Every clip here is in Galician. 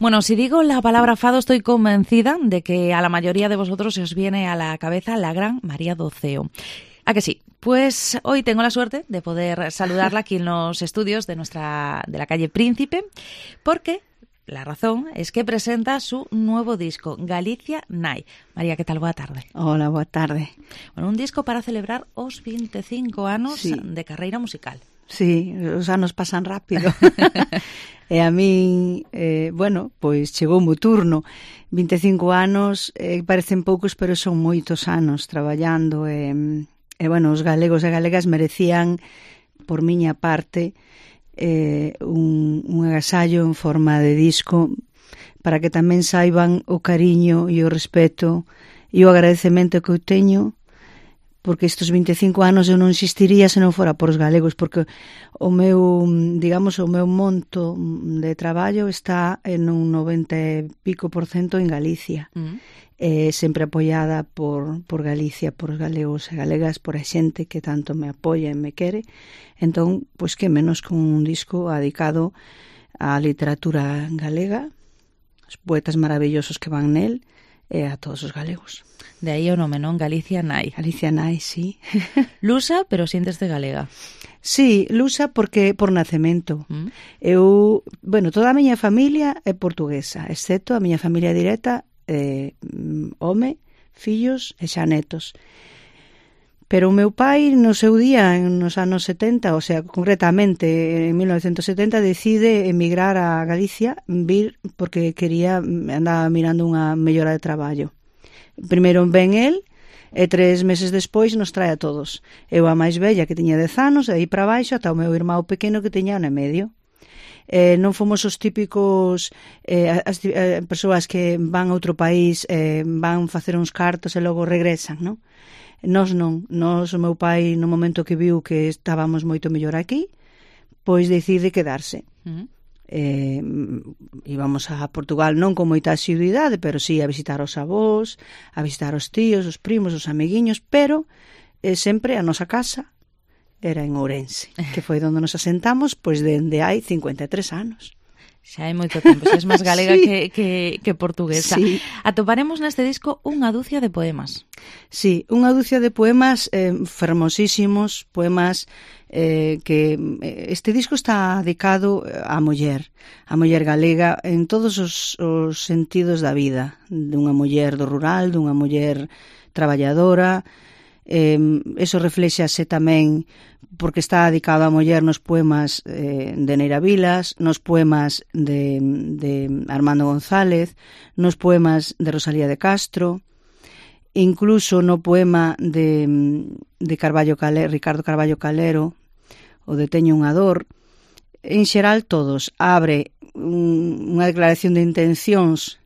Bueno, si digo la palabra fado, estoy convencida de que a la mayoría de vosotros se os viene a la cabeza la gran María Doceo. ¿A que sí? Pues hoy tengo la suerte de poder saludarla aquí en los estudios de la calle Príncipe, porque la razón es que presenta su nuevo disco, Galicia Nai. María, ¿qué tal? Boa tarde. Hola, boa tarde. Bueno, un disco para celebrar os 25 anos de carreira musical. Sí, os anos pasan rápido. E a min, bueno, pois chegou o turno. 25 anos, parecen poucos, pero son moitos anos traballando. E bueno, os galegos e galegas merecían, por miña parte, un agasallo en forma de disco para que tamén saiban o cariño e o respeto e o agradecemento que eu teño, porque estes 25 anos eu non existiría se non fora por os galegos, porque o meu, digamos, o meu monto de traballo está en un 90 e pico % en Galicia. Sempre apoiada por Galicia, por os galegos e galegas, por a xente que tanto me apoia e me quere. Entón, pois que menos con un disco dedicado á literatura galega, os poetas maravillosos que van nel, e a todos os galegos. De aí o nome, non? Galicia Nai. Galicia Nai, sí. Lusa, pero siénteste galega. Sí, lusa porque por nacemento. Eu, bueno, toda a miña familia é portuguesa, excepto a miña familia directa, home, fillos e xa netos. Pero o meu pai, no seu día, nos anos 70, o sea, concretamente en 1970, decide emigrar a Galicia, vir porque andaba mirando unha mellora de traballo. Primeiro ven el, e 3 meses despois nos trae a todos. Eu a máis bella, que tiña 10 anos, e aí para baixo, ata o meu irmão pequeno, que tiña 1 e medio. Non fomos os típicos as persoas que van a outro país, van facer uns cartos e logo regresan, non? Nós non. Nós, o meu pai, no momento que viu que estábamos moito mellor aquí, pois decide quedarse. Íbamos a Portugal non con moita asiduidade, pero sí a visitar os avós, a visitar os tíos, os primos, os amiguiños, pero sempre a nosa casa era en Ourense, que foi onde nos asentamos pois dende hai 53 anos. Xa hai moito tempo, xa és máis galega sí. que portuguesa. Sí. Atoparemos neste disco unha dúcia de poemas. Sí, unha dúcia de poemas fermosísimos, poemas que este disco está dedicado á muller galega en todos os sentidos da vida, dunha muller do rural, dunha muller traballadora. Eso reflexase tamén porque está dedicado á muller nos poemas de Neira Vilas, nos poemas de Armando González, nos poemas de Rosalía de Castro, incluso no poema de Ricardo Carballo Calero, o de Teño unha dor. En xeral todos abre unha declaración de intencións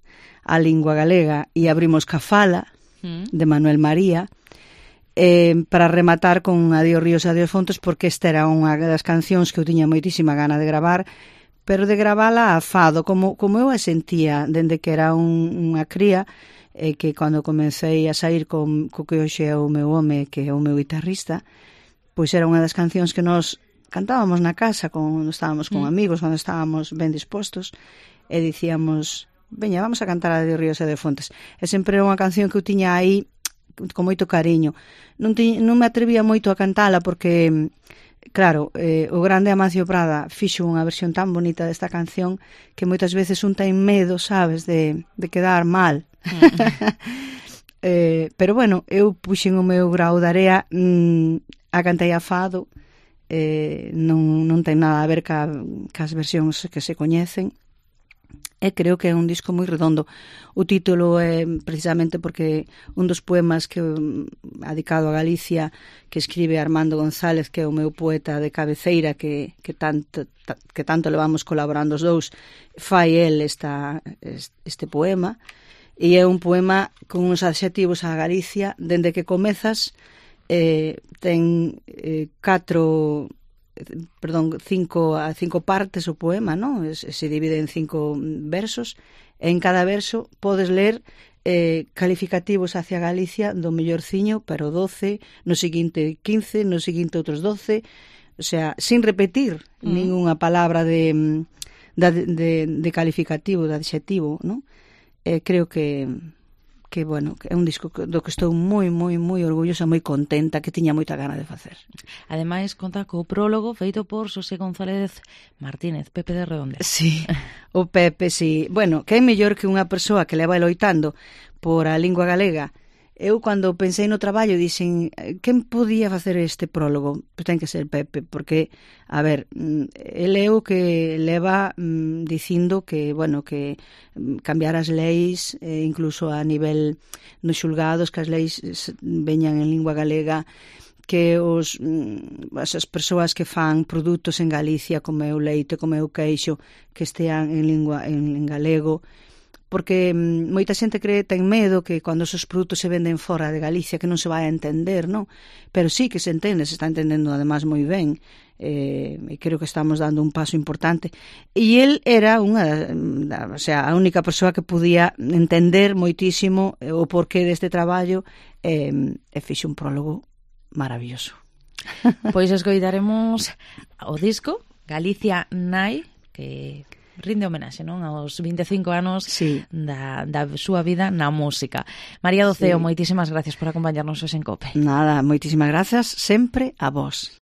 á lingua galega e abrimos ca fala de Manuel María, para rematar con Adiós ríos, adiós fontes, porque esta era unha das cancións que eu tiña moitísima gana de gravar, pero de gravala a fado, como eu a sentía dende que era unha cría, que cando comecei a sair co que hoxe é o meu home, que é o meu guitarrista, pois era unha das cancións que nós cantábamos na casa cando estábamos con amigos, cando estábamos ben dispostos, e dicíamos, veña, vamos a cantar Adiós ríos, adiós fontes. E sempre era unha canción que eu tiña aí con moito cariño. Non me atrevía moito a cantala porque, claro, o grande Amancio Prada fixo unha versión tan bonita desta canción que moitas veces un ten medo, sabes, de quedar mal. Pero bueno, eu puxen o meu grau de area, a cantei a fado, non ten nada a ver cas versións que se coñecen. E creo que é un disco moi redondo. O título é precisamente porque un dos poemas que dedicado a Galicia, que escribe Armando González, que é o meu poeta de cabeceira, que tanto levamos colaborando os dous, fai el este poema, e é un poema con uns adxetivos a Galicia, dende que comezas ten 5 partes o poema, non? Se divide en 5 versos, e en cada verso podes ler calificativos hacia Galicia do mellorciño, pero 12, no seguinte 15, no seguinte outros 12, o sea, sin repetir ningunha palabra de de calificativo, de adxetivo, non? Creo que bueno, é un disco do que estou moi orgullosa, moi contenta, que tiña moita gana de facer. Ademais, conta co prólogo feito por Xosé González Martínez, Pepe de Redondela. Sí, o Pepe, sí. Bueno, que é mellor que unha persoa que leva loitando por a lingua galega. Eu, cando pensei no traballo, dixen, quen podía facer este prólogo? Pois ten que ser Pepe, porque, a ver, ele é o que leva dicindo que, bueno, que cambiar as leis, incluso a nivel nos xulgados, que as leis veñan en lingua galega, que as persoas que fan produtos en Galicia, como é o leite, como é o queixo, que estean en galego, porque moita xente ten medo que cando esos produtos se venden fora de Galicia que non se vai a entender, non? Pero sí que se entende, se está entendendo además moi ben, e creo que estamos dando un paso importante. E el era a única persoa que podía entender moitísimo o porqué deste traballo, e fixe un prólogo maravilloso. Pois escoitaremos o disco Galicia Nai, que rinde homenaxe, non, aos 25 anos sí. da súa vida na música. María Doceo, sí. Moitísimas gracias por acompañarnos hoxe en COPE. Nada, moitísimas grazas sempre a vos.